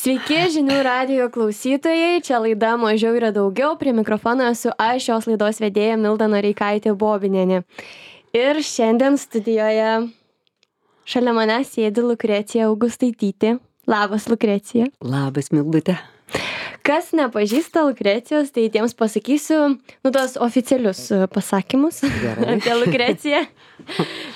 Sveiki, žinių radijo klausytojai, čia laida Mažiau yra daugiau, prie mikrofono esu aš, šios laidos vedėja Milda Noreikaitė Bobinienė. Ir šiandien studijoje šalia manęs sėdi Lukrecija Augustaitytė. Labas, Lukrecija. Labas, Mildute. Kas nepažįsta Lukrecijos, tai tiems pasakysiu, tos oficialius pasakymus apie Lukreciją.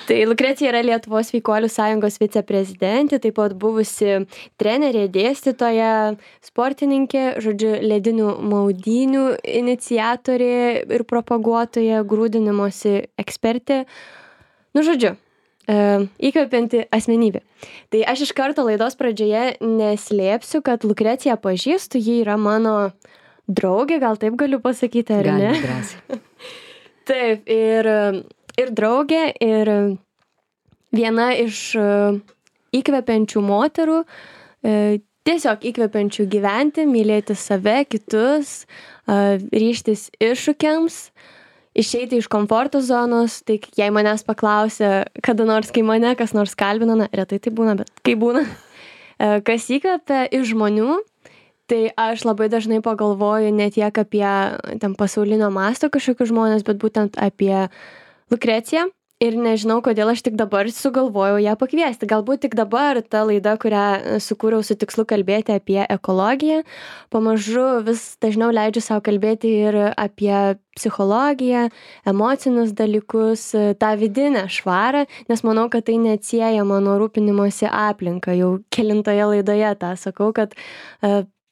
Tai Lukrecija yra Lietuvos sveikuolių sąjungos viceprezidentė, taip pat buvusi trenerė, dėstytoja, sportininkė, žodžiu, ledinių maudynių iniciatorė ir propaguotoja, grūdinimosi ekspertė. Žodžiu, įkvepianti asmenybė. Tai aš iš karto laidos pradžioje neslėpsiu, kad Lukreciją pažįstu, ji yra mano draugė, gal taip galiu pasakyti, ar ne? Gali drąsiai. Taip, ir draugė, ir viena iš įkvepiančių moterų, tiesiog įkvepiančių gyventi, mylėti save, kitus, ryžtis iššūkiams, išeiti iš komforto zonos. Tai jei manęs paklausia, kada nors, kai mane kas nors kalbina, retai tai būna, bet kai būna, kas įkvepia iš žmonių, tai aš labai dažnai pagalvoju ne tiek apie ten pasaulinio masto kažkokius žmonės, bet būtent apie Lukreciją. Ir nežinau, kodėl aš tik dabar sugalvojau ją pakviesti. Galbūt tik dabar ta laida, kurią sukūriau su tikslu kalbėti apie ekologiją, pamažu vis dažniau leidžiu savo kalbėti ir apie psichologiją, emocinius dalykus, tą vidinę švarą, nes manau, kad tai neatsiejama nuo rūpinimosi aplinka. Jau kelintoje laidoje tą sakau, kad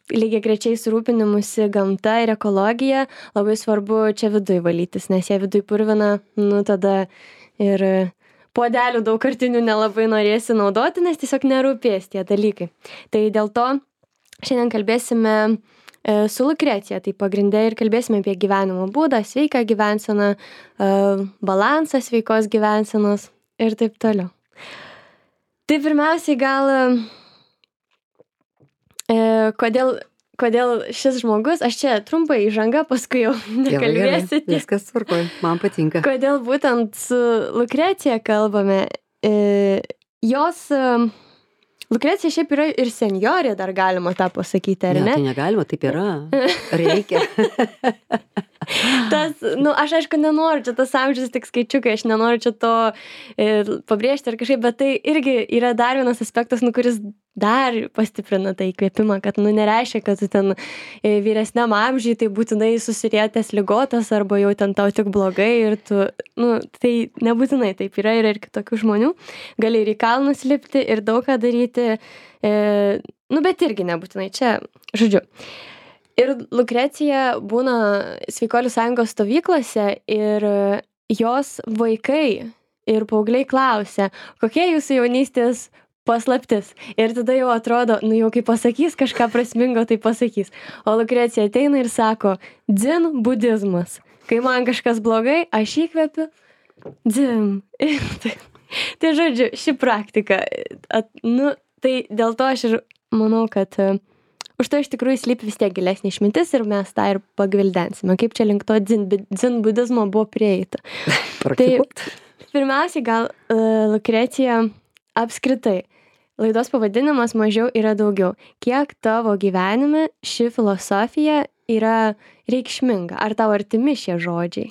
lygiai grečiai su rūpinimusi gamta ir ekologija labai svarbu čia viduj valytis, nes jei viduj purvina, tada ir puodelių daugkartinių nelabai norėsi naudoti, nes tiesiog nerūpės tie dalykai. Tai dėl to šiandien kalbėsime su Lukrecija, tai pagrinde ir kalbėsime apie gyvenimo būdą, sveiką gyvenseną, balansą sveikos gyvensenos ir taip toliau. Tai pirmiausiai gal kodėl šis žmogus, aš čia trumpai įžanga, paskui jau nekalbėsiu. Viskas tvarkoj, man patinka. Kodėl būtent su Lukrecija kalbame? Lukrecija šiaip yra ir senjorė, dar galima tą pasakyti, ar ne? Tai negalima, taip yra. Reikia. Aš aišku nenoriu, čia tas amžius tik skaičiukai, aš nenoriu čia to pabrėžti ar kažkaip, bet tai irgi yra dar vienas aspektas, kuris dar pastiprina tą įkvėpimą, kad nereiškia, kad tu ten vyresniam amžiui tai būtinai susirietęs ligotas arba jau ten tau tik blogai ir tu, tai nebūtinai taip yra ir kitokių žmonių. Gali ir į kalnus lipti ir daug ką daryti, bet irgi nebūtinai čia, žodžiu. Ir Lukrecija būna sveikuolių sąjungos stovyklose ir jos vaikai ir paaugliai klausia, kokie jūsų jaunystės paslaptis. Ir tada jau atrodo, jau kai pasakys kažką prasmingo, tai pasakys. O Lukrecija ateina ir sako, dzin budizmas. Kai man kažkas blogai, aš įkvepiu, dzin. Tai žodžiu, ši praktika. Tai dėl to aš ir manau, kad už to iš tikrųjų slypi vis tiek gilesnė išmintis ir mes tą ir pagvildensime. Kaip čia link to dzin budizmo buvo prieita. Tai pirmiausiai gal Lukrecija apskritai. Laidos pavadinimas Mažiau yra daugiau. Kiek tavo gyvenime ši filosofija yra reikšminga? Ar tau artimi šie žodžiai?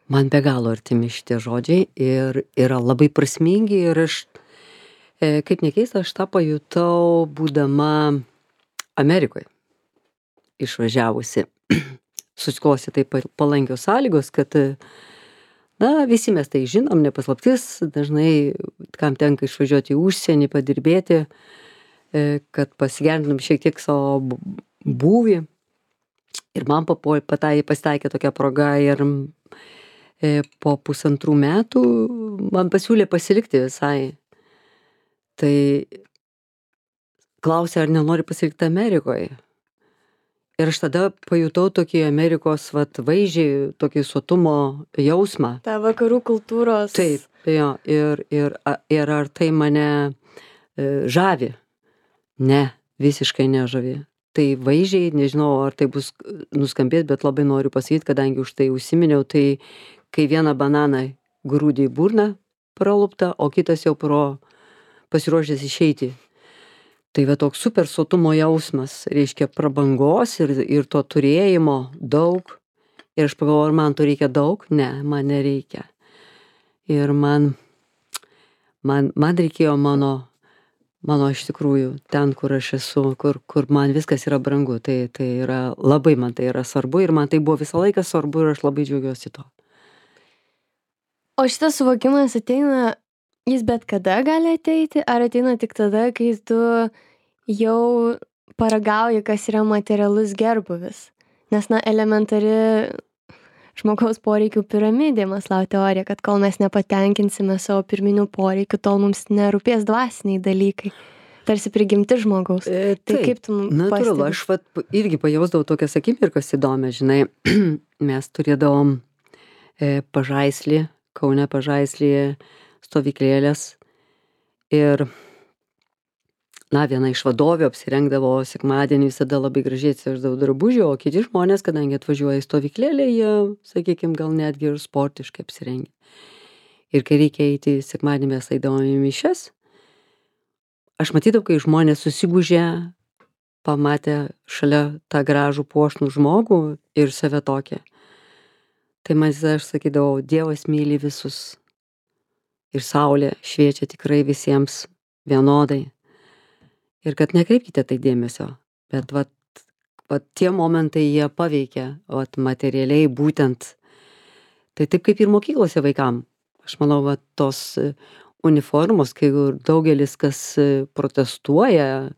Man be galo artimi šitie žodžiai ir yra labai prasmingi ir aš, kaip nekeista, aš tą pajutau būdama Amerikoje. Išvažiavusi. Susiklosi taip palankios sąlygos, kad visi mes tai žinom, nepaslaptis, dažnai kam tenka išvažiuoti į užsienį, padirbėti, kad pasigerintum šiek tiek savo būvį. Ir man pasitaikė tokia proga ir po 1,5 metų man pasiūlė pasilikti visai. Tai klausė, ar nenori pasilikti Amerikoje. Ir aš tada pajutau tokį Amerikos vaizdžiai, tokį sotumo jausmą. Ta vakarų kultūros. Taip, jo. Ir ar tai mane žavi? Ne, visiškai nežavi. Tai vaizdžiai, nežinau, ar tai bus nuskambės, bet labai noriu pasakyti, kadangi už tai užsiminiau, tai kai vieną bananą grūdi į burną praluptą, o kitas jau pasiruošęs išeiti. Tai va toks super sotumo jausmas, reiškia prabangos ir to turėjimo daug. Ir aš pagalvojau, ar man to reikia daug? Ne, man nereikia. Ir man reikėjo mano iš tikrųjų ten, kur aš esu, kur man viskas yra brangu. Tai yra labai man tai yra svarbu ir man tai buvo visą laiką svarbu ir aš labai džiaugiuosi to. O šitas suvokimas ateina, jis bet kada gali ateiti, ar ateina tik tada, kai tu jau paragauji, kas yra materialus gerbūvis? Nes, elementari žmogaus poreikių piramidė, Maslau teorija, kad kol mes nepatenkinsime savo pirminių poreikių, tol mums nerūpės dvasiniai dalykai. Tarsi prigimti žmogaus. Tai kaip tu natūralu, aš irgi pajausdavau tokias akimirkas įdomias, žinai, mes turėdavom Pažaislį, Kaune Pažaislyje stovyklėlės ir viena iš vadovių apsirengdavo sekmadienį visada labai gražiai atsiveždavo drabužių, o kiti žmonės, kadangi atvažiuoja į stovyklėlę, jie, sakykime, gal netgi ir sportiškai apsirengia. Ir kai reikia eiti sekmadienį, mes eidavom į mišias, aš matydavau, kai žmonės susigūžė, pamatė šalia tą gražų puošnų žmogų ir save tokią. Tai aš sakydavau, Dievas myli visus ir saulė šviečia tikrai visiems vienodai. Ir kad nekreipkite tai dėmesio, bet tie momentai jie paveikia, materialiai būtent. Tai taip kaip ir mokyklose vaikam. Aš manau, tos uniformos, kai daugelis kas protestuoja,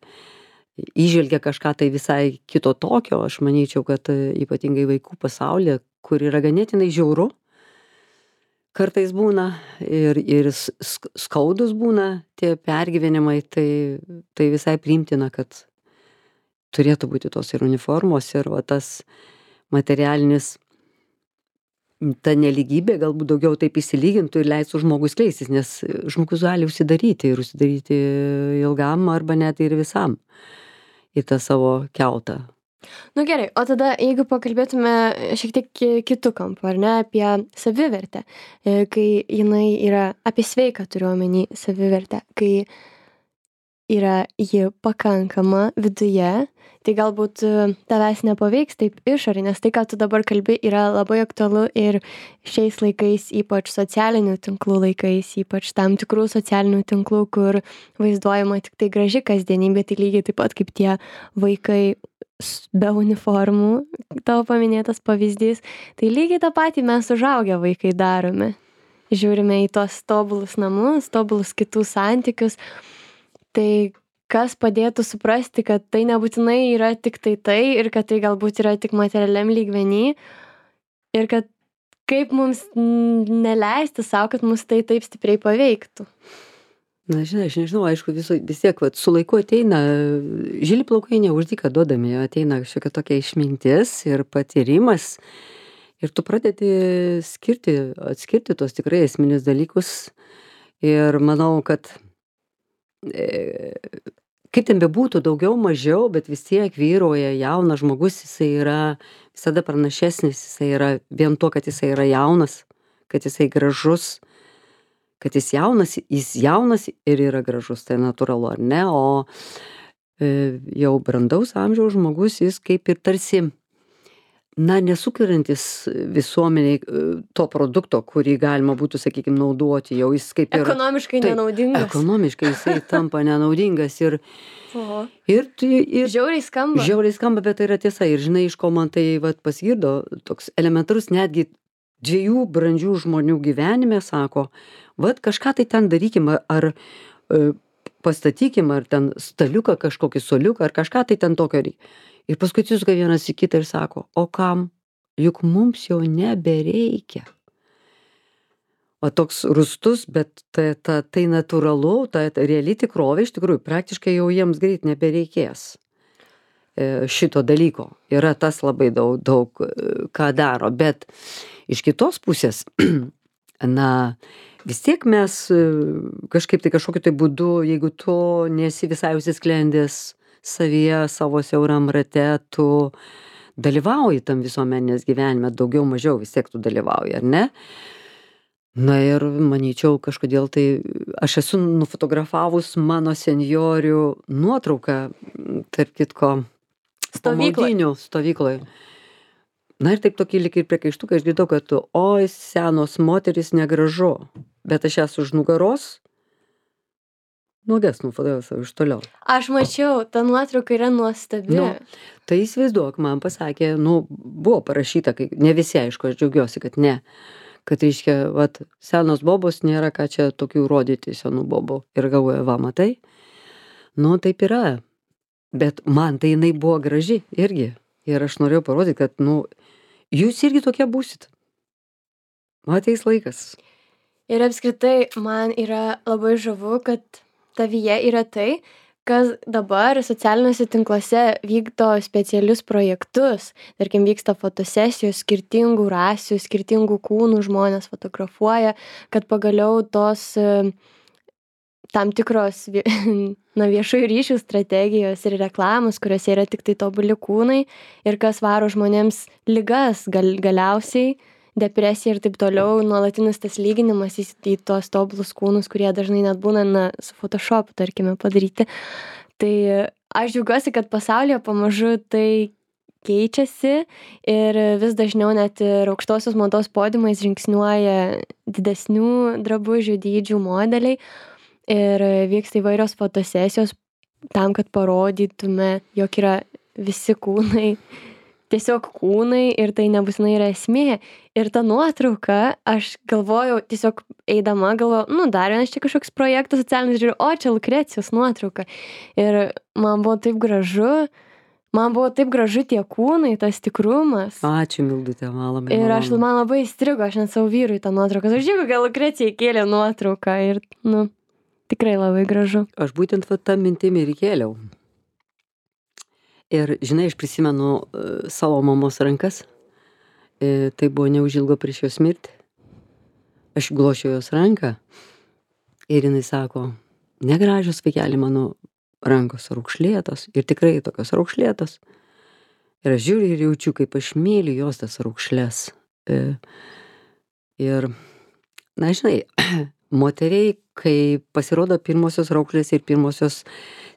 įžvelgia kažką tai visai kito tokio, aš manyčiau, kad ypatingai vaikų pasaulyje, kur yra ganėtinai žiauru, kartais būna ir skaudus būna tie pergyvenimai, tai visai priimtina, kad turėtų būti tos ir uniformos, ir tas materialinis, ta nelygybė galbūt daugiau taip įsilygintų ir leistų žmogui skleistis, nes žmogus gali užsidaryti ilgam arba net ir visam į tą savo kiautą. Gerai, o tada jeigu pakalbėtume šiek tiek kitų kampų, ar ne, apie savivertę, kai jinai yra, apie sveiką turiu omeny savivertę, kai yra ji pakankama viduje, tai galbūt tavęs nepaveiks taip išorė, nes tai, ką tu dabar kalbi, yra labai aktualu ir šiais laikais, ypač socialinių tinklų laikais, ypač tam tikrų socialinių tinklų, kur vaizduojama tik tai graži kasdienybė, tai lygiai taip pat kaip tie vaikai be uniformų, tavo paminėtas pavyzdys, tai lygiai tą patį mes užaugę vaikai darome. Žiūrime į tos tobulus namus, tobulus kitų santykius, tai kas padėtų suprasti, kad tai nebūtinai yra tik tai ir kad tai galbūt yra tik materialiam lygmenį ir kad kaip mums neleisti savo, kad mus tai taip stipriai paveiktų. Žinai, aš nežinau, aišku, vis tiek su laiku ateina, žili plaukai ne už dyką duodami, ateina šiokia tokia išmintis ir patyrimas ir tu pradedi atskirti tos tikrai esminius dalykus ir manau, kad kaip ten bebūtų daugiau, mažiau, bet vis tiek vyrauja jaunas žmogus, jisai yra visada pranašesnis, jisai yra vien to, kad jisai yra jaunas, kad jisai gražus, kad jis jaunas ir yra gražus, tai natūralu, ar ne, o jau brandaus amžiaus žmogus, jis kaip ir tarsi, nesukuriantis visuomeniai to produkto, kurį galima būtų, sakykime, naudoti, jau jis kaip ir... Ekonomiškai nenaudingas. Ekonomiškai jisai tampa nenaudingas ir žiauriai skamba. Žiauriai skamba, bet tai yra tiesa. Ir žinai, iš ko man tai pasigirdo, toks elementarus netgi 2 brandžių žmonių gyvenime, sako, kažką tai ten darykim, ar pastatykim, ar ten staliuką, kažkokį soliuką, ar kažką tai ten tokio reikia. Ir paskui atsisuka vienas į kitą ir sako, o kam? Juk mums jau nebereikia. O toks rūstus, bet tai natūralu, ta reali tikrovė, iš tikrųjų, praktiškai jau jiems greit nebereikės šito dalyko. Yra tas labai daug ką daro, bet iš kitos pusės, vis tiek mes kažkaip tai kažkokiu tai būdu, jeigu tu nesi visai užsisklendęs savyje, savo siauram rate, tu dalyvauji tam visuomenės gyvenime, daugiau mažiau vis tiek tu dalyvauji, ar ne? Na ir manyčiau, kažkodėl tai aš esu nufotografavus mano senjorių nuotrauką, tarp kitko, po Stovykloj. maudynių stovykloj. Na ir taip tokį lyg ir priekaištuką išgirdau, kad oi, senos moterys negražu, bet aš jas už nugaros nuogas nufotografavau iš toliau. Aš mačiau, ta nuotrauka yra nuostabi. Nu, tai įsivaizduok, man pasakė, buvo parašyta, kai ne visi, aišku, aš džiaugiuosi, kad ne, kad reiškia, vat, senos bobos nėra ką čia tokių rodyti senų bobų. Ir galvoju, va, matai, taip yra. Bet man tai jinai buvo graži irgi. Ir aš norėjau parodyti, kad, jūs irgi tokie būsit. Ateis laikas. Ir apskritai man yra labai žavu, kad tavyje yra tai, kas dabar socialiniuose tinkluose vykdo specialius projektus. Tarkim, vyksta fotosesijos, skirtingų rasių, skirtingų kūnų žmonės fotografuoja, kad pagaliau tos tam tikros viešųjų ryšių strategijos ir reklamos, kuriuose yra tik tai tobuli kūnai ir kas varo žmonėms ligas galiausiai, depresija ir taip toliau, nuolatinis tas lyginimas į tos tobulus kūnus, kurie dažnai net būna su Photoshopu, tarkime, padaryti. Tai aš džiaugiuosi, kad pasaulyje pamažu tai keičiasi ir vis dažniau net ir aukštosios mados podiumais žingsniuoja didesnių drabužių dydžių modeliai ir vyksta įvairios fotosesijos tam, kad parodytume, jog yra visi kūnai, tiesiog kūnai ir tai nebūtinai yra esmė. Ir ta nuotrauka, aš galvojau, tiesiog eidama galvojau, dar vienas čia kažkoks projektas socialinis, žiūriu, o čia Lukrecijos nuotrauka. Ir man buvo taip gražu tie kūnai, tas tikrumas. Ačiū, Mildutė, man labai Ir malonu. man labai įstrigo, aš net savo vyrui tą nuotrauką. Aš žiūrėjau, gal Lukrecija įkėlė nuotrauką ir, tikrai labai gražu. Aš būtent tą mintimį ir kėliau. Ir, žinai, aš prisimenu savo mamos rankas. Tai buvo neužilgo prieš jos mirtį. Aš glošiu jos ranką ir jinai sako, negražios vaikeli mano rankos raukšlėtos ir tikrai tokios raukšlėtos. Ir aš žiūriu ir jaučiu, kaip aš myliu jos tas raukšlės. Ir, žinai, moteriai, kai pasirodo pirmosios raukšlės ir pirmosios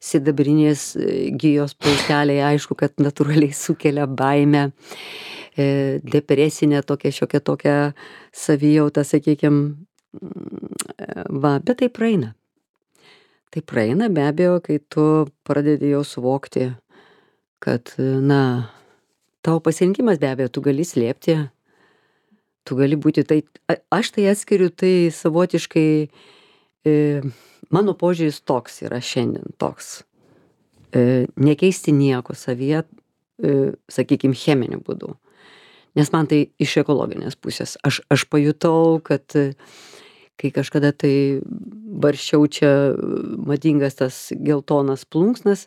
sidabrinės gijos plaukeliai, aišku, kad natūraliai sukelia baimę, depresinę šiokią tokią savijautą, sakykime, bet tai praeina. Tai praeina be abejo, kai tu pradedi jau suvokti, kad, tavo pasirinkimas be abejo, tu gali slėpti, tu gali būti tai, aš tai atskiriu tai savotiškai, mano požiūris toks yra šiandien toks, nekeisti nieko savyje, sakykime, cheminiu būdu. Nes man tai iš ekologinės pusės. Aš pajutau, kad kai kažkada tai barščiau čia madingas tas geltonas plunksnas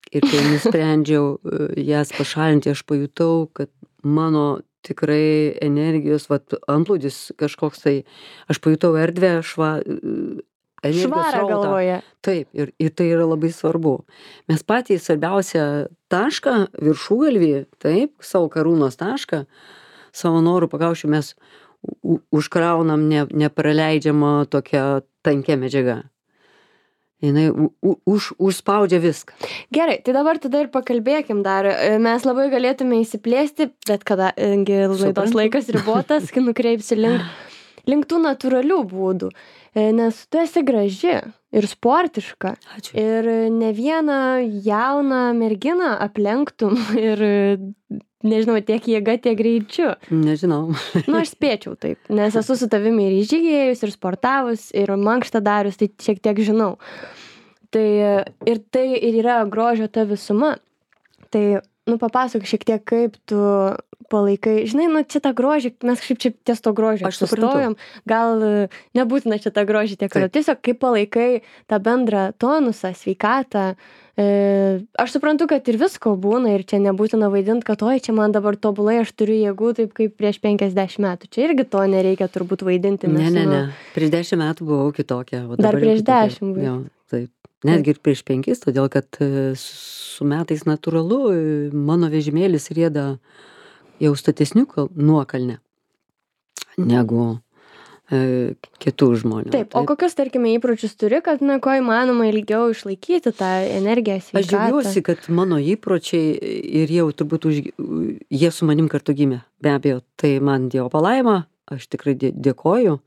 ir kai nusprendžiau jas pašalinti, aš pajutau, kad mano tikrai energijos, antplūdis kažkoks tai, aš pajutau erdvę, Švarą galvoje. Taip, ir tai yra labai svarbu. Mes patį svarbiausią tašką, viršugalvį, taip, savo karūnos tašką, savo norų pakaušiu mes užkraunam nepraleidžiamą tokią tankę medžiagą. Jinai užspaudžia viską. Gerai, tai dabar tada ir pakalbėkim dar. Mes labai galėtume įsiplėsti, bet kadangi laidos laikas ribotas, kai nukreipsi link tų natūralių būdų. Nes tu esi graži ir sportiška. Ačiū. Ir ne vieną jauną merginą aplenktum ir, nežinau, tiek jėga, tiek greičiu. Nežinau. Aš spėčiau taip, nes esu su tavimi ir žygėjus, ir sportavus, ir mankštą darius, tai šiek tiek žinau. Tai ir yra grožio ta visuma. Tai, papasakok šiek tiek, kaip tu palaikai. Žinai, čia tą grožį, mes kažkaip čia ties to grožio sustojom. Gal nebūtina čia tą grožį tiek. Tiesiog kaip palaikai tą bendrą tonusą, sveikatą. Aš suprantu, kad ir visko būna ir čia nebūtina vaidinti, kad oi, čia man dabar tobulai, aš turiu jėgų taip kaip prieš 50 metų. Čia irgi to nereikia turbūt vaidinti. Ne. Prieš 10 metų buvau kitokia. Dar prieš 10 buvau. Jo, taip. Netgi ir prieš 5, todėl kad su metais natūralu mano vežimėlis rieda jau statesnių nuokalne negu kitų žmonių. Taip, o kokius, tarkime, įpročius turi, kad, kuo įmanoma ilgiau išlaikyti tą energiją, sveikatą? Aš džiaugiuosi, kad mano įpročiai ir jau turbūt jie su manim kartu gimė. Be abejo, tai man Dievo palaima, aš tikrai dėkoju.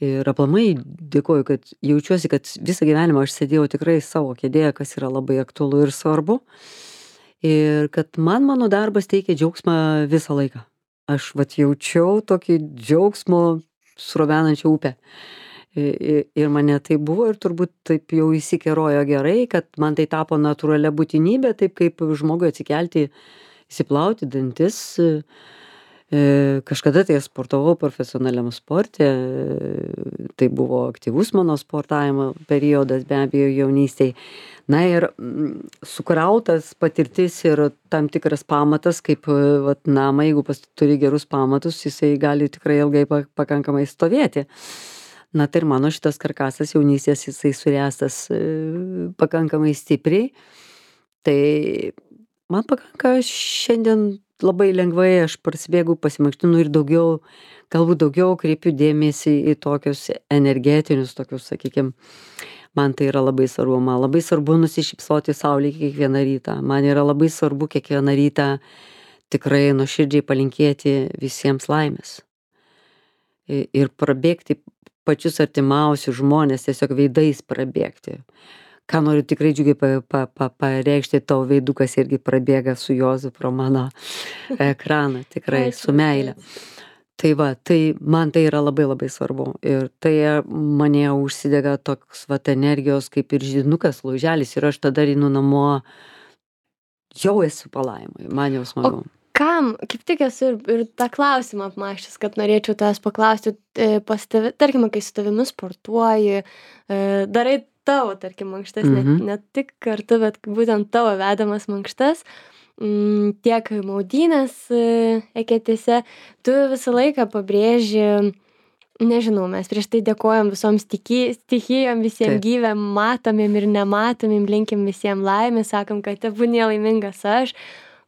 Ir aplamai dėkoju, kad jaučiuosi, kad visą gyvenimą aš sėdėjau tikrai savo kėdėje, kas yra labai aktualu ir svarbu. Ir kad mano darbas teikia džiaugsmą visą laiką. Aš jaučiau tokį džiaugsmo srovenančią upę. Ir mane tai buvo ir turbūt taip jau įsikerojo gerai, kad man tai tapo natūralia būtinybė, taip kaip žmogui atsikelti, įsiplauti dantis. Kažkada tai sportavau profesionaliam sporte, tai buvo aktyvus mano sportavimo periodas, be abejo, jaunystėj. Na ir sukrautas patirtis ir tam tikras pamatas, kaip namą, jeigu turi gerus pamatus, jisai gali tikrai ilgai pakankamai stovėti. Na tai ir mano šitas karkasas jaunystės, jisai suręstas pakankamai stipriai. Tai man pakanka šiandien labai lengvai, aš prasibėgu, pasimankštinu ir galbūt daugiau kreipiu dėmesį į tokius energetinius, tokius, sakykime, man tai yra labai svarbu. Man labai svarbu nusišypsoti saulei kiekvieną rytą. Man yra labai svarbu kiekvieną rytą tikrai nuoširdžiai palinkėti visiems laimės. Ir prabėgti pačius artimiausius žmonės, tiesiog veidais prabėgti. Ką noriu tikrai džiugiai pareikšti, tavo veidukas irgi prabėga su Juozu pro mano ekraną, tikrai su meile. Tai man tai yra labai labai svarbu. Ir tai mane užsidega toks energijos kaip ir židinukas, lauželis, ir aš tada einu namo, jau esu palaimoj, man jau smagu. Kam, kaip tik esu ir tą klausimą apmąsčius, kad norėčiau tavęs paklausti, tarkime, kai su tavimi sportuoji, darai tavo, tarkim, mankštas, ne tik kartu, bet būtent tavo vedamas mankštas, tiek maudynės eketėse, tu visą laiką pabrėži, nežinau, mes prieš tai dėkojam visoms stichijom, visiems gyvėm, matomėm ir nematomėm, linkim visiems laimės, sakom, kad tebūnie laimingas aš.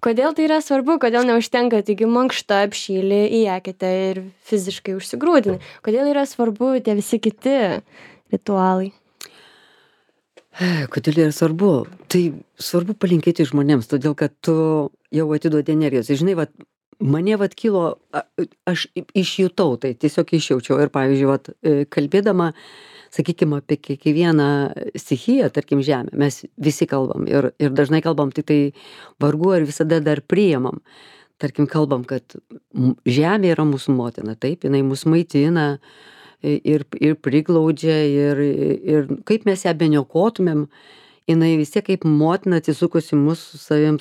Kodėl tai yra svarbu, kodėl neužtenka tik mankšta apšyli į eketę ir fiziškai užsigrūdini? Kodėl yra svarbu tie visi kiti ritualai? Kodėl yra svarbu? Tai svarbu palinkėti žmonėms, todėl kad tu jau atiduodi energijos. Žinai, mane kilo, aš išjutau, tai tiesiog išjaučiau. Ir pavyzdžiui, kalbėdama, sakykime, apie kiekvieną stichiją, tarkim, žemę, mes visi kalbam ir dažnai kalbam, tik tai vargu ar visada dar priimam. Tarkim, kalbam, kad žemė yra mūsų motina, taip, jinai mus maitina, ir priglaudžia ir kaip mes ją beniokotumėm, jinai vis tiek kaip motina atsisukusi mūsų savim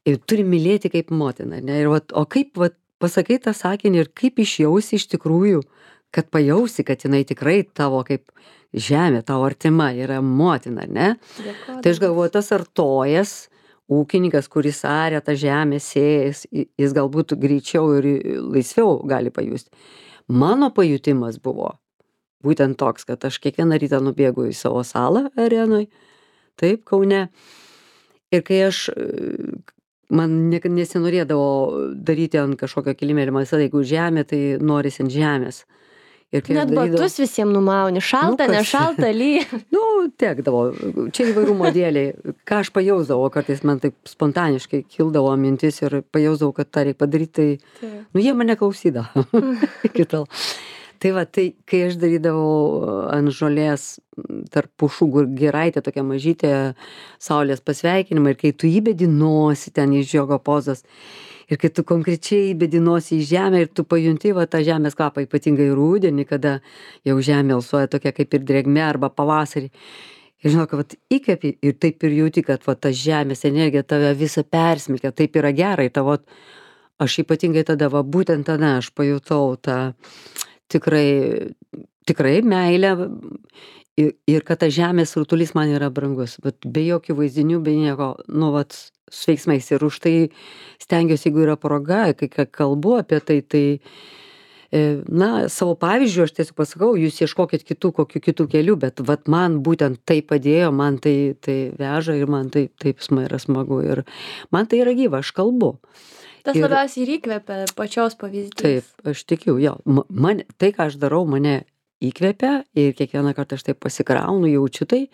ir turi mylėti kaip motina, ne? Ir o kaip pasakai tą sakinį ir kaip išjausi iš tikrųjų, kad pajausi, kad jinai tikrai tavo kaip žemė, tavo artima yra motina, ne? Tai aš galvoju, tas artojas, ūkininkas, kuris aria tą žemę, sėjas, jis galbūt greičiau ir laisviau gali pajusti. Mano pajutimas buvo būtent toks, kad aš kiekvieną rytą nubėgu į savo salą arenoj, taip, Kaune. Ir kai man nesinorėdavo daryti ant kažkokio kilimėlio, man visada, jeigu žemė, tai norisi ant žemės. Net batus visiems numauni, šalta, nešalta, lyja. Tekdavo, čia įvairių modeliai. Ką aš pajausdavau, kartais man taip spontaniškai kildavo mintis ir pajausdavau, kad tą reikia padaryti, tai jie mane klausydavo. Tai kai aš darydavau ant žolės tarp pušų giraitė, tokia mažytė saulės pasveikinimą, ir kai tu įbedi nosį ten į žiogo pozas, ir kai tu konkrečiai įbedi nosį į žemę ir tu pajunti tą žemės kvapą, ypatingai rudenį, kada jau žemė alsuoja tokia kaip ir drėgmė arba pavasarį. Ir žinok, įkvepi ir taip ir jauti, kad ta žemės energija tave visą persmelkia, taip yra gerai. Aš ypatingai tada, būtent tada aš pajutau tą tikrai meilę ir kad tas žemės rutulys man yra brangus, bet be jokių vaizdinių, be nieko, su veiksmais. Ir už tai stengiuosi, jeigu yra proga, kai kalbu apie tai, savo pavyzdžių aš tiesiog pasakau, jūs ieškokit kokių kitų kelių, bet man būtent tai padėjo, man tai veža ir man taip yra smagu ir man tai yra gyva, aš kalbu. Tas Ir- labiausiai ir įkvepia pačios pavyzdys. Taip, aš tikiu, jo. Tai, ką aš darau, mane įkvepia ir kiekvieną kartą aš taip pasikraunu, jaučiu tai.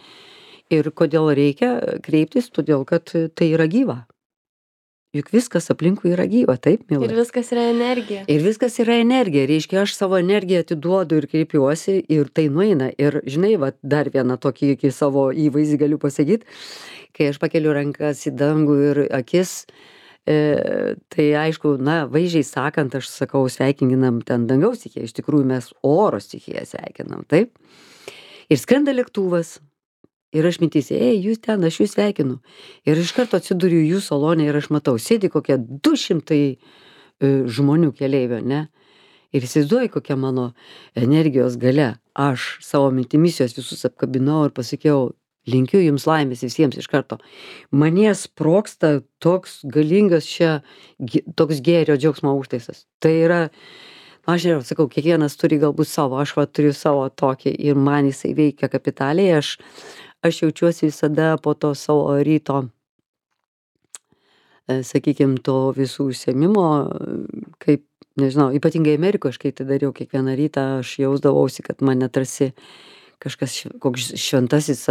Ir kodėl reikia kreiptis, todėl kad tai yra gyva. Juk viskas aplinkui yra gyva, taip, Ir Milda? viskas yra energija. Ir viskas yra energija, reiškia, aš savo energiją atiduodu ir kreipiuosi ir tai nueina. Ir žinai, va, dar vieną tokį iki savo įvaizdį galiu pasakyti, kai aš pakeliu rankas į dangų ir akis, tai aišku, na, vaizdžiai sakant, aš sakau, sveikinam ten dangaus stichiją, iš tikrųjų mes oro stichiją sveikinam, taip? Ir skrenda lėktuvas. Ir aš mintyse, jūs ten, aš jūs sveikinu. Ir iš karto atsiduriu jų salonę ir aš matau, sėdi kokie 200 žmonių keleivio, ne? Ir įsivaizduoju, kokia mano energijos galia. Aš savo mintimis juos visus apkabinau ir pasakiau, linkiu jums laimės visiems iš karto. Manie sproksta toks galingas čia, toks gėrio džiaugsmo užtaisas. Tai yra, aš žinau, sakau, kiekvienas turi galbūt savo, aš va turiu savo tokį ir man jisai veikia kapitaliai, aš jaučiuosi visada po to savo ryto, sakykime, to visų užsiėmimo, kaip, nežinau, ypatingai Amerikoje, aš kai tai dariau kiekvieną rytą, aš jausdavausi, kad mane tarsi kažkas, koks šventasis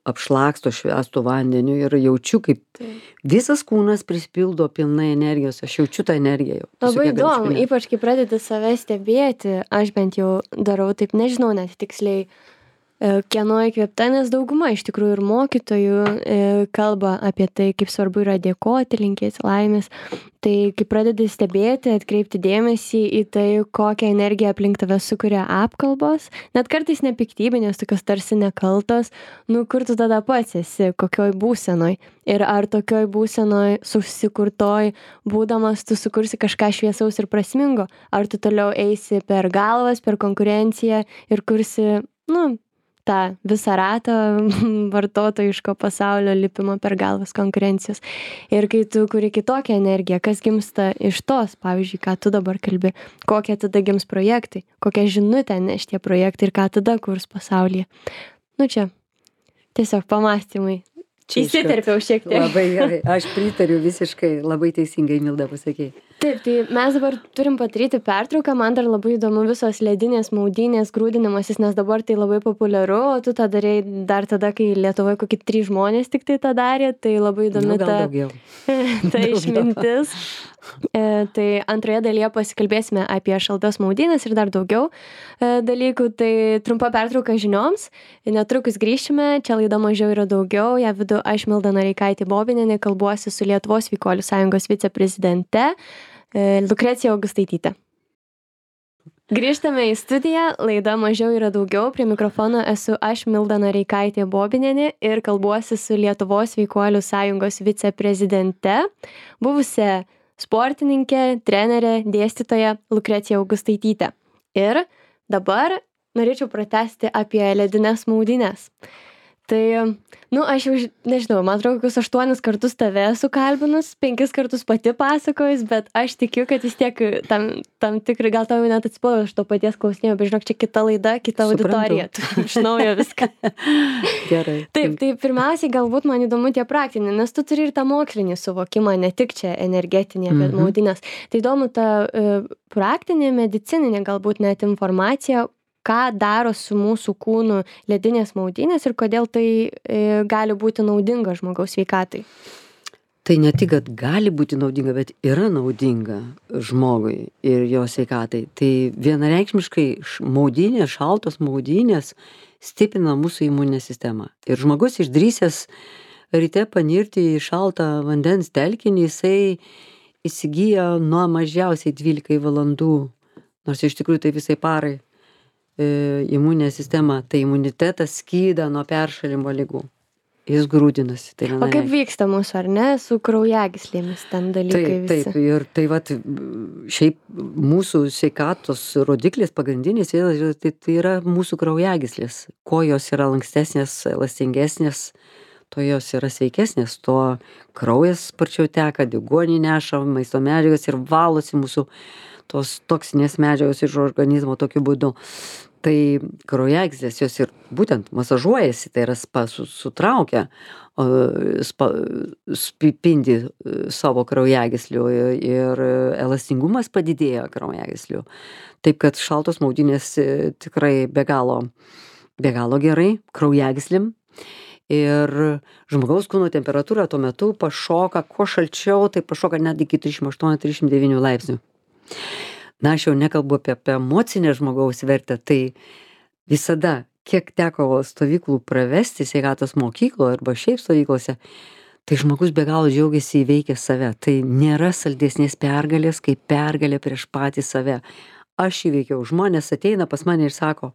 apšlaksto švęstų vandeniu ir jaučiu, kaip visas kūnas prispildo pilnai energijos, aš jaučiu tą energiją jau. Labai įdomu, ypač kai pradedi save stebėti, aš bent jau darau taip, nežinau net tiksliai, kieno įkvėpta, nes dauguma iš tikrųjų ir mokytojų kalba apie tai, kaip svarbu yra dėkoti, linkėti laimės. Tai kai pradedi stebėti, atkreipti dėmesį į tai, kokią energiją aplink tave sukuria apkalbos, net kartais nepiktybinės, tokios tarsi nekaltos, nu kur tu tada pats esi, kokioj būsenoj. Ir ar tokioj būsenoj susikurtoj, būdamas tu sukursi kažką šviesaus ir prasmingo, ar tu toliau eisi per galvas, per konkurenciją ir kursi, tą visą ratą vartotojiško pasaulio lipimo per galvas konkurencijos. Ir kai tu kuri kitokią energiją, kas gimsta iš tos, pavyzdžiui, ką tu dabar kalbi, kokie tada gims projektai, kokią žinutę neš tie projektai ir ką tada kurs pasaulyje. Čia tiesiog pamąstymai. Įsiterpiau šiek tiek. Labai gerai, aš pritariu visiškai, labai teisingai, Milda, pasakei. Taip, tai mes dabar turim padaryti pertrauką, man dar labai įdomu visos ledinės, maudynės, grūdinimasis, nes dabar tai labai populiaru, o tu tą darėjai dar tada, kai Lietuvoje kokie 3 žmonės tik tai tą darė, tai labai įdomi ta išmintis. Tai antroje dalyje pasikalbėsime apie šaltas maudynės ir dar daugiau dalykų. Tai trumpa pertrauka žinioms, netrukus grįšime, čia laida Mažiau yra daugiau, ją vedu aš Milda Noreikaitė-Bobinienė, kalbuosi su Lietuvos Sveikuolių sąjungos viceprezidente Lukrecija Augustaitytė. Grįžtame į studiją, laida Mažiau yra daugiau, prie mikrofono esu aš Milda Noreikaitė-Bobinienė ir kalbuosi su Lietuvos Sveikuolių sąjungos viceprezidente, buvusia sportininkė, trenerė, dėstytoja Lukrecija Augustaitytė. Ir dabar norėčiau pratęsti apie ledines maudynes. Tai, aš jau, nežinau, man atrodo, kokius 8 kartus tave esu kalbinus, 5 kartus pati pasakojus, bet aš tikiu, kad vis tiek tam tikrai, gal tau net atsipojau, aš to paties klausinėjau, bet žinok, čia kita laida, kita auditorija, tu iš naujo viską. Gerai. Taip, tai pirmiausiai galbūt man įdomu tie praktiniai, nes tu turi ir tą mokslinį suvokimą, ne tik čia energetinė, bet maudynės. Tai įdomu ta praktinė, medicininė galbūt net informacija, ką daro su mūsų kūnu ledinės maudynės ir kodėl tai gali būti naudinga žmogaus sveikatai. Tai ne tik, kad gali būti naudinga, bet yra naudinga žmogui ir jo sveikatai. Tai vienareikšmiškai maudynės, šaltos maudynės stiprina mūsų imuninę sistemą. Ir žmogus išdrįsęs ryte panirti į šaltą vandens telkinį, jisai įsigyja nuo mažiausiai 12 valandų, nors iš tikrųjų tai visai parai. Imuninė sistema, tai imunitetas skyda nuo peršalimo ligų. Jis grūdinasi. Tai o kaip vyksta mūsų, ar ne, su kraujagyslėmis ten dalykai visi? Taip, ir tai šiaip mūsų sveikatos rodiklis pagrindinis, tai yra mūsų kraujagyslės. Kuo jos yra lankstesnės, elastingesnės, to jos yra sveikesnės, to kraujas sparčiau teka, deguonį neša, maisto medžiagas ir valosi mūsų tos toksinės medžiagos iš organizmo tokiu būdu. Tai kraujagyslės jos ir būtent masažuojasi, tai yra sutraukia, spindi savo kraujagyslių ir elastingumas padidėja kraujagyslių. Taip kad šaltos maudynės tikrai be galo gerai kraujagyslim. Ir žmogaus kūno temperatūra tuo metu pašoka, kuo šalčiau, tai pašoka net iki 38-39 laipsnių. Na, aš jau nekalbu apie emocinę žmogaus vertę, tai visada, kiek teko stovyklų pravesti sveikatos mokykloje arba šiaip stovyklose, tai žmogus be galo džiaugiasi įveikęs save. Tai nėra saldesnės pergalės, kaip pergalė prieš patį save. Aš įveikiau, žmonės ateina pas mane ir sako,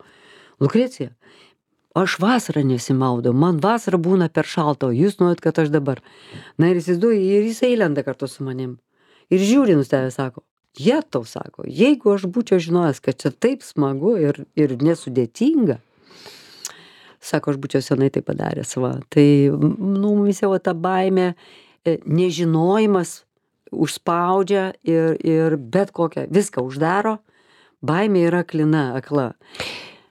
Lukrecija, aš vasarą nesimaudau, man vasarą būna per šalta, o jūs norit, kad aš dabar. Na ir įsivaizduoju, ir jisai lenda kartu su manim. Ir žiūri nustebę, sako, jetau, sako, jeigu aš būčiau žinojęs, kad čia taip smagu ir nesudėtinga, sako, aš būčiau senai tai padaręs. Va. Tai, mumis jau ta baimė, nežinojimas užspaudžia ir bet kokią, viską uždaro, baimė yra akla.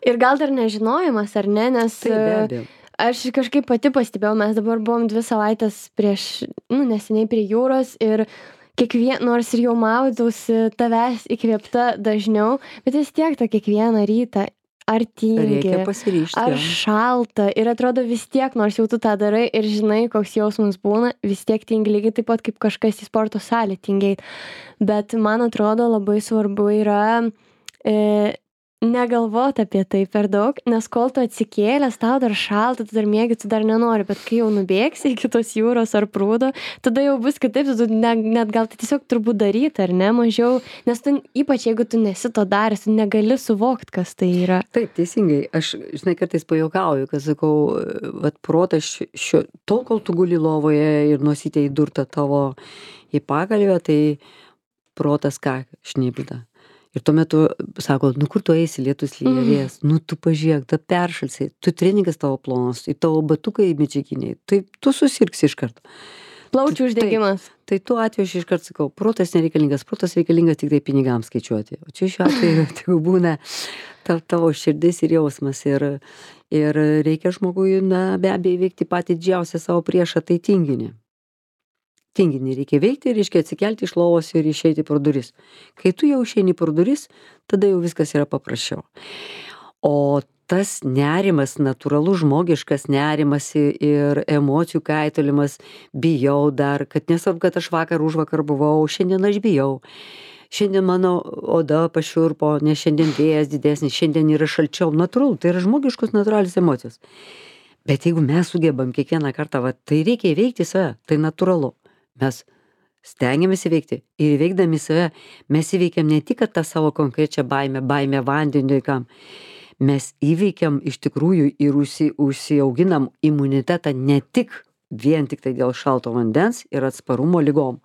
Ir gal dar nežinojimas, ar ne, nes aš kažkaip pati pastebėjau, mes dabar buvom 2 savaitės neseniai prie jūros ir nors ir jau maudausi tavęs įkvėpta dažniau, bet vis tiek tą kiekvieną rytą ar tingi, ar šalta ir atrodo vis tiek, nors jau tu tą darai ir žinai, koks jausmas būna, vis tiek tingi lygiai taip pat kaip kažkas į sporto salę tingeit. Bet man atrodo labai svarbu yra negalvot apie tai per daug, nes kol tu atsikėlęs, tau dar šalta, tu dar miegi, tu dar nenori, bet kai jau nubėgsi iki tos jūros ar prūdo, tada jau bus kitaip, tu net gal tai tiesiog turbūt daryti, ar ne, mažiau, nes tu, ypač jeigu tu nesi to daręs, tu negali suvokti, kas tai yra. Taip, teisingai, aš, žinai, kartais pajuokauju, kad sakau, vat protas tol, kol tu guli lovoje ir nosytė įdurta tavo į pagalvę, tai protas ką šnibžda. Ir tuo metu sako, kur tu eisi, lietus lyja, vėjas, tu pažiūrėk, ta peršalsi, tu treningas tavo plonas, į tavo batukai medžiaginiai, tai tu susirgsi iš karto. Plaučių uždegimas. Tai tuo atveju aš iš karto sakau, protas nereikalingas, protas reikalingas tik tai pinigams skaičiuoti. O čia šiuo atveju tik būna tavo širdis ir jausmas ir reikia žmogui, be abejo, įveikti patį didžiausią savo priešą, tai tinginį. Tinginį reikia veikti, reiškia atsikelti iš lovos ir išeiti pro duris. Kai tu jau išeini pro duris, tada jau viskas yra paprasčiau. O tas nerimas, natūralus žmogiškas nerimas ir emocijų kaitalimas, bijau dar, kad nesvarbu, kad aš užvakar buvau, šiandien aš bijau. Šiandien mano oda pašiurpo, nes šiandien vėjas didesnis, šiandien yra šalčiau. Natūralu, tai yra žmogiškos natūralios emocijos. Bet jeigu mes sugebam kiekvieną kartą, tai reikia įveikti save, tai natūralu. Mes stengiamės įveikti ir įveikdami save, mes įveikiam ne tik tą savo konkrečią baimę vandeniui, kam mes įveikiam iš tikrųjų ir užsiauginam imunitetą ne tik vien tik tai dėl šalto vandens ir atsparumo ligom.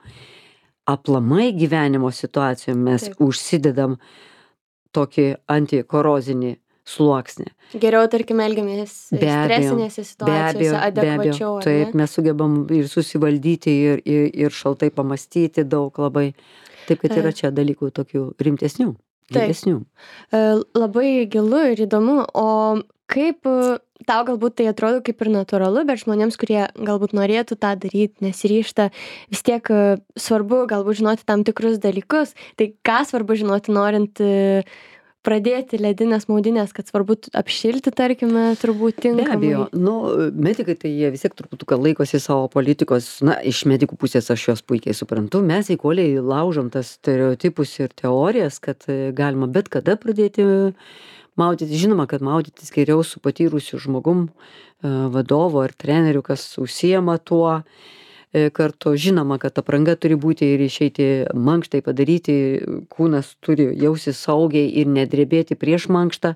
Aplamai gyvenimo situacijom mes užsidedam tokį antikorozinį sluoksnį. Geriau, tarkim, elgiamės stresinėse situacijose adekvačiau. Taip, mes sugebam ir susivaldyti ir šaltai pamastyti daug labai. Taip, kad yra čia dalykų tokių rimtesnių, gilesnių. Labai gilu ir įdomu, o kaip tau galbūt tai atrodo kaip ir natūralu, bet žmonėms, kurie galbūt norėtų tą daryti, nesiryžta, vis tiek svarbu galbūt žinoti tam tikrus dalykus. Tai ką svarbu žinoti, norint pradėti ledinės maudynės, kad svarbu apšilti, tarkime, turbūt tinkamai. Be abejo, medikai tai jie vis tiek truputuką laikosi savo politikos, iš medikų pusės aš jos puikiai suprantu, mes eikoliai laužom tas stereotipus ir teorijas, kad galima bet kada pradėti maudytis. Žinoma, kad maudytis geriau su patyrusiu žmogum, vadovu ar treneriu, kas užsiema tuo. Kartu žinoma, kad apranga turi būti ir išeiti mankštai padaryti, kūnas turi jausis saugiai ir nedrebėti prieš mankštą,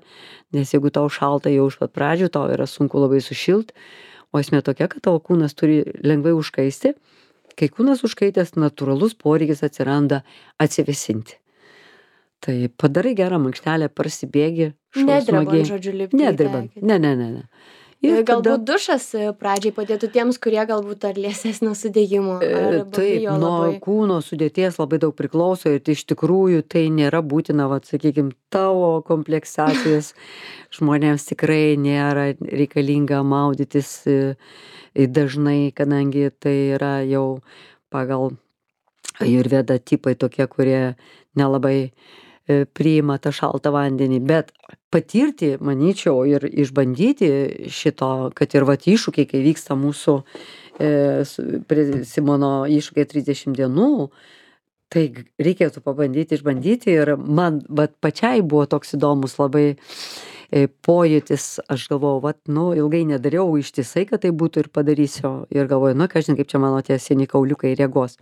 nes jeigu tau šalta jau iš pat pradžių, tau yra sunku labai sušilt, o esmė tokia, kad tavo kūnas turi lengvai užkaisti. Kai kūnas užkaitęs, natūralus poreikis atsiranda atsivėsinti. Tai padarai gerą mankštelę, prasibėgi, Nedrebant, žodžiu, lipti. Nedrebant, ne. Ir Galbūt dušas pradžiai padėtų tiems, kurie galbūt ar liesesnio sudėjimo, ar taip, bijo nuo labai. kūno sudėties labai daug priklauso ir iš tikrųjų tai nėra būtina, vat, sakykime, tavo kompleksacijos žmonėms tikrai nėra reikalinga maudytis dažnai, kadangi tai yra jau pagal ajurvedą tipai tokie, kurie nelabai priima tą šaltą vandenį, bet patirti, manyčiau, ir išbandyti šito, kad ir vat iššūkiai, kai vyksta mūsų prie Simono iššūkiai 30 dienų, tai reikėtų pabandyti, išbandyti ir man vat pačiai buvo toks įdomus labai pojūtis, aš galvojau, vat, nu, ilgai nedariau ištisai, kad tai būtų ir padarysiu ir galvoju, nu, kažin kaip čia mano tie seni kauliukai reagos.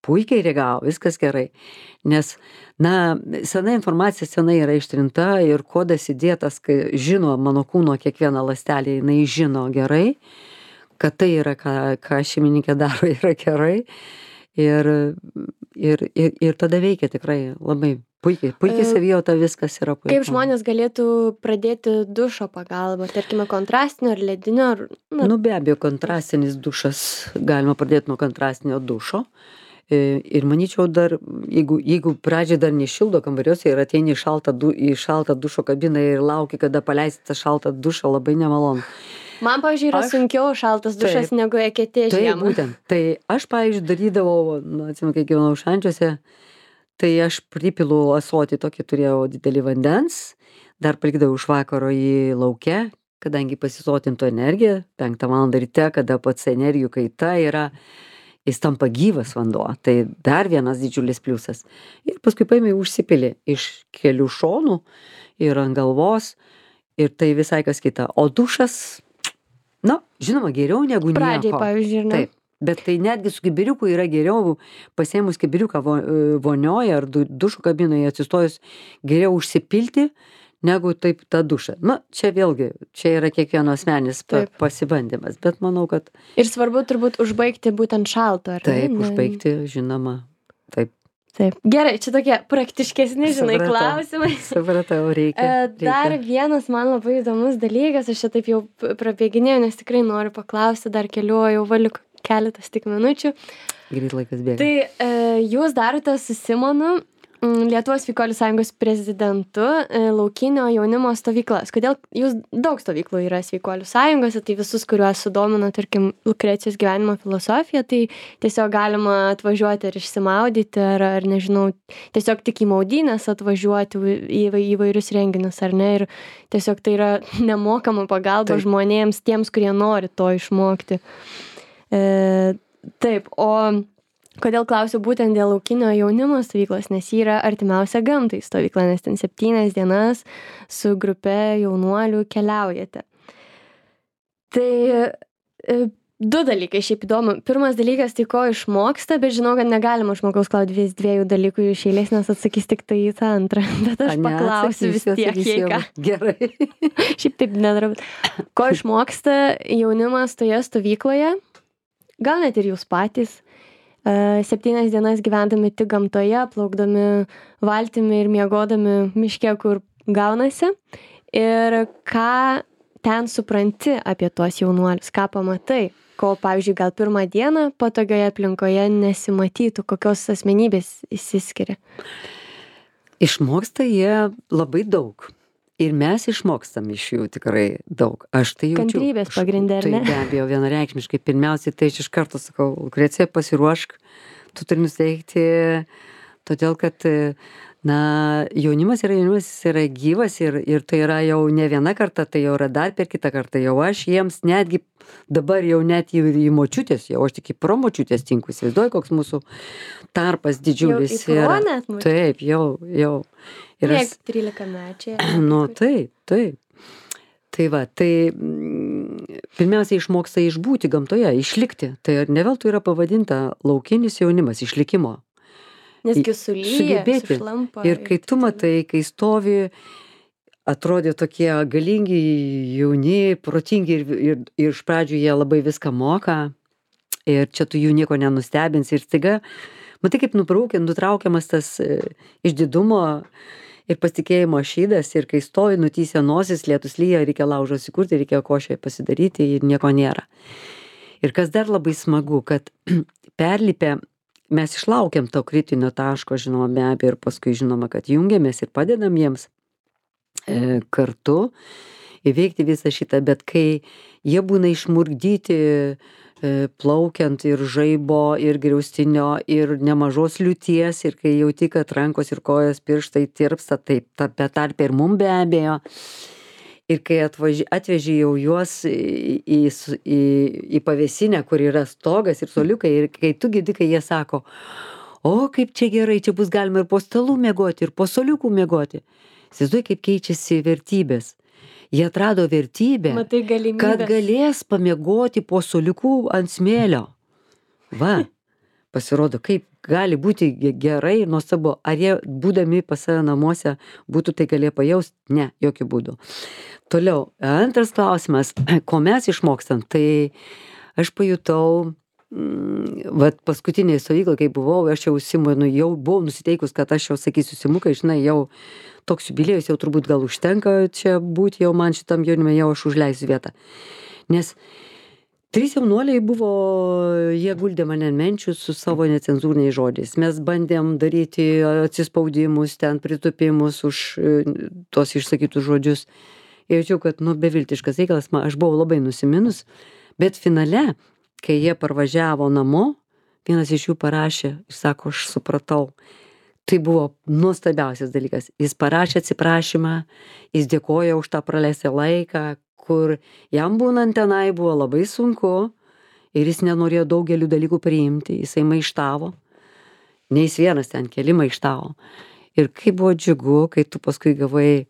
Puikiai reagavo, viskas gerai. Nes, na, sena informacija senai yra ištrinta ir kodas įdėtas, kai žino mano kūno kiekvieną ląstelę, jinai žino gerai, kad tai yra, ką šeimininkė daro, yra gerai. Ir tada veikia tikrai labai puikiai savijauta, viskas yra puikiai. Kaip žmonės galėtų pradėti dušo pagalbą, tarkime, kontrastinio ar ledinio? Nu, be abejo, kontrastinis dušas, galima pradėti nuo kontrastinio dušo. Ir manyčiau dar, jeigu pradžiai dar nešildo kambariuose ir ateini į šaltą dušo kabiną ir lauki, kada paleisti tą šaltą dušą, labai nemalonu. Man, pavyzdžiui, yra sunkiau šaltas dušas negu eketė žiemą. Taip, būtent. Tai aš, pavyzdžiui, darydavau, atsimenu, kai gyvenau Šančiuose, tai aš pripilu ąsotį tokį, turėjau didelį vandens, dar palikdavau iš vakaro jį lauke, kadangi pasisotintų energiją, 5 valandą ryte, kada pats energijų kaita yra, jis tampa gyvas vanduo, tai dar vienas didžiulis pliusas. Ir paskui paėmė užsipilį iš kelių šonų ir ant galvos ir tai visai kas kita. O dušas, na, žinoma, geriau negu nieko. Pradžiai, pavyzdžiui, ne? Taip, bet tai netgi su kibiriuku yra geriau, pasiėmus kibiriuką vonioje ar dušo kabinoje atsistojus, geriau užsipilti negu taip tą dušą. Na, čia vėlgi, čia yra kiekvieno asmenis pasibandymas, bet manau, kad... Ir svarbu turbūt užbaigti būtent šalto, ar ne? Taip, užbaigti, žinoma, taip. Taip. Gerai, čia tokie praktiškesni, žinai, klausimai. Supratau, reikia. Dar vienas man labai įdomus dalykas, aš čia taip jau prabėginėjau, nes tikrai noriu paklausti, dar keliu, jau valiu keletas tik minučių. Greit laikas bėga. Tai jūs darote su Simonu Lietuvos sveikuolių sąjungos prezidentu laukinio jaunimo stovyklas. Kodėl jūs daug stovyklų yra sveikuolių sąjungose, tai visus, kuriuos sudomino, tarkim, Lukrecijos gyvenimo filosofija, tai tiesiog galima atvažiuoti ir išsimaudyti, ar nežinau, tiesiog tik į maudynės atvažiuoti į įvairius renginius, ar ne, ir tiesiog tai yra nemokama pagalba žmonėms, tiems, kurie nori to išmokti. Taip, o kodėl klausiu būtent dėl laukinio jaunimo stovyklos, nes ji yra artimiausia gamtai stovykla, nes ten 7 dienas su grupe jaunuolių keliaujate. Tai 2 dalykai šiaip įdomu. Pirmas dalykas, tai ko išmoksta, bet žinau, kad negalima žmogaus klausti 2 dalykų iš eilės, nes atsakys tik tai į tą antrą. Bet aš paklausiu vis tiek, jei ką. Gerai. Šiaip taip nedarau. Ko išmoksta jaunimas toje stovykloje? Gal net ir jūs patys. 7 dienas gyvendami tik gamtoje, plaukdami valtimi ir miegodami miške, kur gaunasi. Ir ką ten supranti apie tuos jaunuolius, ką pamatai, ko, pavyzdžiui, gal pirmą dieną patogioje aplinkoje nesimatytų, kokios asmenybės išsiskiria. Išmoksta jie labai daug. Ir mes išmokstam iš jų tikrai daug. Aš tai jaučiu. Kantrybės pagrindė, ar ne? Tai be abejo, vienareikšmiškai. Pirmiausiai, tai aš iš karto sakau, Lukrecija, pasiruošk, tu turi nusteikti, todėl kad, na, jaunimas yra gyvas ir tai yra jau ne viena karta, tai jau yra dar per kitą kartą. Jau aš jiems netgi dabar jau net į močiutės, jau aš tik į promočiutės tinku. Įsivaizduoju, koks mūsų tarpas didžiulis yra. Jau į yra. Taip, jau. Ir aš 13 mečiai. Nu, taip. Tai va, tai pirmiausia išmoksta išbūti gamtoje, išlikti. Tai ne veltui yra pavadinta laukinis jaunimas, išlikimo. Nesgi sulyja, sušlampa. Ir kai tu matai, kai stovi, atrodė tokie galingi, jauni, protingi ir iš pradžių jie labai viską moka. Ir čia tu jų nieko nenustebinsi. Ir staiga, matai, kaip nutraukiamas tas išdidumo ir pasitikėjimo šydas, ir kai stovi, nutįsia nosis, lietus lyja, reikia laužo įsikurti, reikia košę pasidaryti ir nieko nėra. Ir kas dar labai smagu, kad perlipę, mes išlaukiam to kritinio taško, žinoma, be abejo, ir paskui žinoma, kad jungiamės ir padedam jiems kartu įveikti visą šitą, bet kai jie būna išmurgdyti plaukiant ir žaibo, ir griaustinio, ir nemažos liūties, ir kai jauti, kad rankos ir kojos pirštai tirpsta, taip, be tarp ir mum be abejo. Ir kai atveži jau juos į pavėsinę, kur yra stogas ir suoliukai, ir kai tu girdi, kai jie sako, o kaip čia gerai, čia bus galima ir po stalų miegoti, ir po suoliukų miegoti. Įsivaizduoji, kaip keičiasi vertybės. Jie atrado vertybę, kad galės pamiegoti po suoliukų ant smėlio. Va, pasirodo, kaip gali būti gerai ir nuostabu. Ar jie, būdami pas save namuose, būtų tai galėję pajaust? Ne, jokių būdų. Toliau, antras klausimas, ko mes išmokstam, tai aš pajutau, vat paskutinėje stovykloje, kai buvau, aš jau Simonui, jau buvau nusiteikus, kad aš jau sakysiu, Simukai, žinai, jau toks jubiliejus, jau turbūt gal užtenka čia būti jau man šitam jaunime, jau aš užleisiu vietą. Nes 3 jaunuoliai buvo, jie guldė mane ant menčių su savo necenzūriniais žodžiais. Mes bandėm daryti atsispaudimus, ten pritupimus už tos išsakytus žodžius. Ir jaučiau, kad, beviltiškas reikalas, aš buvau labai nusiminus, bet finale, kai jie parvažiavo namo, vienas iš jų parašė ir sako, aš supratau. Tai buvo nuostabiausias dalykas. Jis parašė atsiprašymą, jis dėkoja už tą praleistą laiką, kur jam būnant tenai buvo labai sunku ir jis nenorėjo daugelių dalykų priimti, jisai maištavo. Ne jis vienas ten, keli maištavo. Ir kaip buvo džiugu, kai tu paskui gavai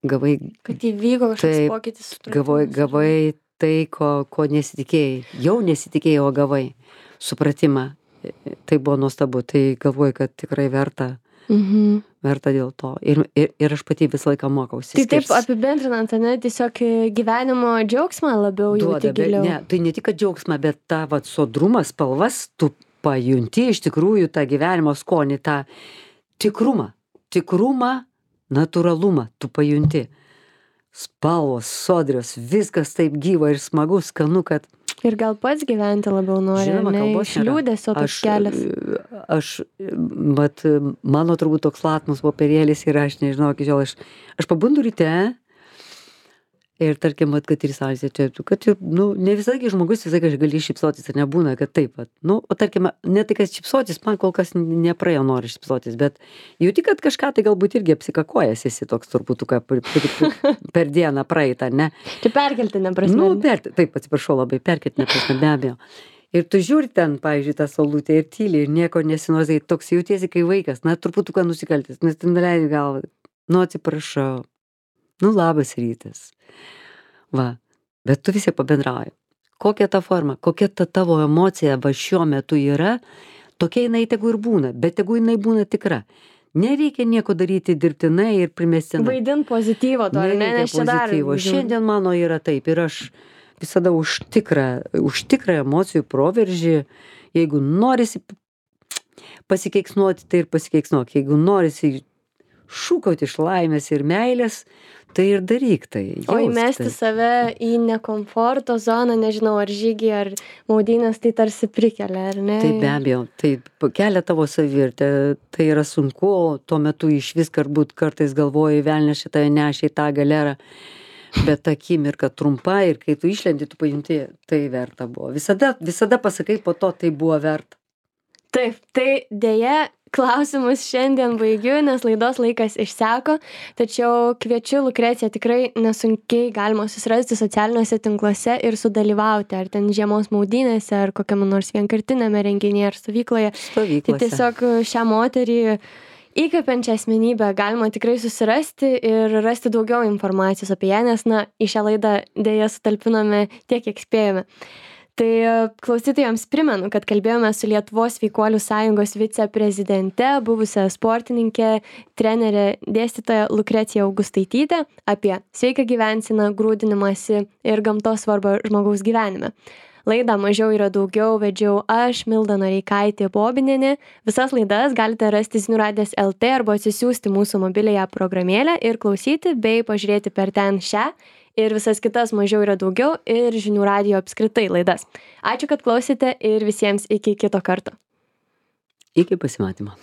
kad įvyko kažkoks pokytis. Gavai tai, ko nesitikėjai. Jau nesitikėjai, o gavai supratimą. Tai buvo nuostabu, tai galvoju, kad tikrai verta dėl to. Ir aš pati visą laiką mokausi. Tai taip apibendrinant, ne, tiesiog gyvenimo džiaugsmą labiau jauti giliau. Ne, tai ne tik džiaugsmą, bet tą sodrumas, spalvas, tu pajunti iš tikrųjų tą gyvenimo skonį, tą tikrumą, natūralumą tu pajunti. Spalvos, sodrios, viskas taip gyva ir smagu, skanu, kad ir gal pats gyventi labiau nori, žinoma, ne, iš liūdesio toks kelias. Mano turbūt toks latmus popierėlis ir aš nežinau, iki šiol aš pabundu ryte ir tarkim, kad ir salėse čia, kad ne visai žmogus visai gali šypsotis ir nebūna, kad taip, o tarkim, ne tai, kad šypsotis, man kol kas nepraėjo nori šypsotis, bet jauti, kad kažką tai galbūt irgi apsikakojas esi toks turbūt, per dieną praeitą, ne? Tai perkeltinė prasme. Taip, atsiprašau labai, perkeltinė prasme, be abejo. Ir tu žiūri ten, pavyzdžiui, tą saulutę ir tyliai ir nieko nesinozai, toks jautiesi kai vaikas, truputuką nusikaltis, nes ten leidži galvą, atsiprašau, labas rytas. Va, bet tu visi pabendrauji. Kokia ta forma, kokia ta tavo emocija šiuo metu yra, tokia jinai tegu ir būna, bet tegu jinai būna tikra. Nereikia nieko daryti dirbtinai ir primestinai. Vaidint pozityvo to, nes čia dar. Šiandien mano yra taip ir aš visada už tikrą emocijų proveržį, jeigu norisi pasikeiksnuoti, tai ir pasikeiksnuok. Jeigu norisi šūkauti iš laimės ir meilės, tai ir daryk tai. O įmesti save į nekomforto zoną, nežinau, ar žygį, ar maudynės, tai tarsi prikelia, ar ne? Tai be abejo, tai kelia tavo savivertę, tai yra sunku, tuo metu iš vis kartais galvoji, velnias šitą nešė į tą galerą, bet ta akimirka trumpa ir kai tu išlendi, tu pajunti, tai verta buvo. Visada pasakai po to, tai buvo verta. Taip, tai dėja, klausimus šiandien baigiu, nes laidos laikas išseko, tačiau kviečiu Lukreciją, tikrai nesunkiai galima susirasti socialiniuose tinkluose ir sudalyvauti, ar ten žiemos maudynėse, ar kokiame nors vienkartinėme renginyje, ar stovykloje. Tai tiesiog šią moterį įkvepiančią asmenybę galima tikrai susirasti ir rasti daugiau informacijos apie ją, nes į šią laidą dėja sutalpinome tiek, kiek spėjome. Tai klausytojams primenu, kad kalbėjome su Lietuvos sveikuolių sąjungos viceprezidente, buvusią sportininkę, trenerę, dėstytoją Lukreciją Augustaitytę apie sveiką gyvenseną, grūdinimąsi ir gamtos svarbą žmogaus gyvenime. Laidą Mažiau yra daugiau vedžiau aš, Milda Noreikaitė Bobinienė. Visas laidas galite rasti Zinių radijas LT arba atsisiųsti mūsų mobiliąją programėlę ir klausyti bei pažiūrėti per ten šią ir visas kitas Mažiau yra daugiau ir Žinių radijo apskritai laidas. Ačiū, kad klausėte ir visiems iki kito karto. Iki pasimatymo.